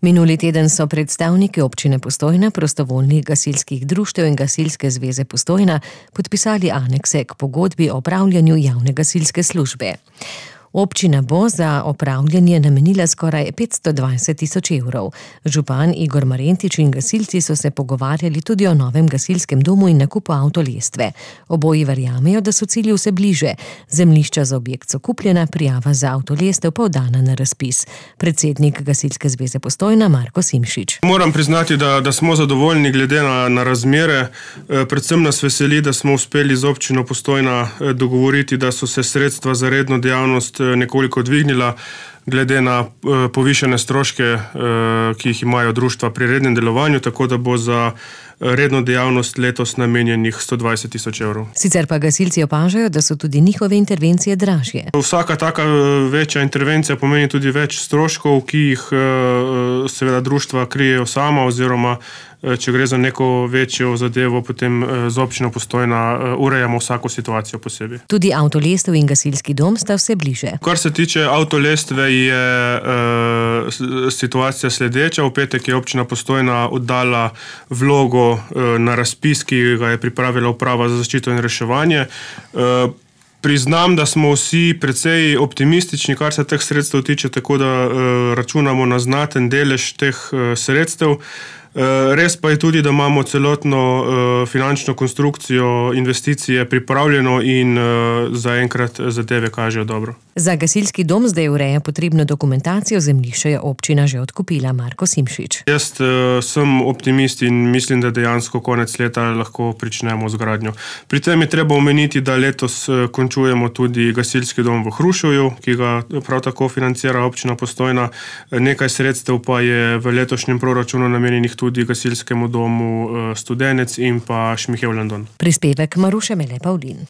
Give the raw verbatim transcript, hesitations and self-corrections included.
Minuli teden so predstavniki občine Postojna, prostovoljnih gasilskih društev in Gasilske zveze Postojna podpisali anekse k pogodbi o opravljanju javne gasilske službe. Občina bo za opravljanje namenila skoraj petsto dvajset tisoč evrov. Župan Igor Marentič in gasilci so se pogovarjali tudi o novem gasilskem domu in nakupu avtolestve. Oboji verjamejo, da so cilji vse bliže. Zemljišča za objekt so kupljena, prijava za avtolestev pa oddana na razpis. Predsednik Gasilske zveze Postojna Marko Simšič. Moram priznati, da, da smo zadovoljni glede na, na razmere. Predvsem nas veseli, da smo uspeli z občino Postojna dogovoriti, da so se sredstva za redno dejavnost nekoliko dvignila glede na povišene stroške, ki jih imajo društva pri rednem delovanju, tako da bo za redno dejavnost letos namenjenih sto dvajset tisoč evrov. Sicer pa gasilci opažajo, da so tudi njihove intervencije dražje. Vsaka taka večja intervencija pomeni tudi več stroškov, ki jih seveda društva krijejo sama, oziroma če gre za neko večjo zadevo, potem z občino Postojna urejamo vsako situacijo posebej. Tudi avtolestev in gasilski dom sta vse bliže. Kar se tiče avtolestve, je e, situacija sledeča. V petek je občina Postojna oddala vlogo e, na razpis, ki ga je pripravila uprava za zaščito in reševanje. E, Priznam, da smo vsi precej optimistični, kar se teh sredstev tiče, tako da e, računamo na znaten delež teh e, sredstev. Res pa je tudi, da imamo celotno uh, finančno konstrukcijo investicije pripravljeno in uh, zaenkrat zadeve kažejo dobro. Za gasilski dom zdaj ureja potrebno dokumentacijo, zemljišče je občina že odkupila. Marko Simšič. Jaz uh, sem optimist in mislim, da dejansko konec leta lahko pričnemo z gradnjo. Pri tem je treba omeniti, da letos uh, končujemo tudi gasilski dom v Hruševju, ki ga prav tako financira občina Postojna. Nekaj sredstev pa je v letošnjem proračunu namenjenih tudi gasilskemu domu Studenec in pa Šmihev London. Prispevek Maruše Mele Pavlin.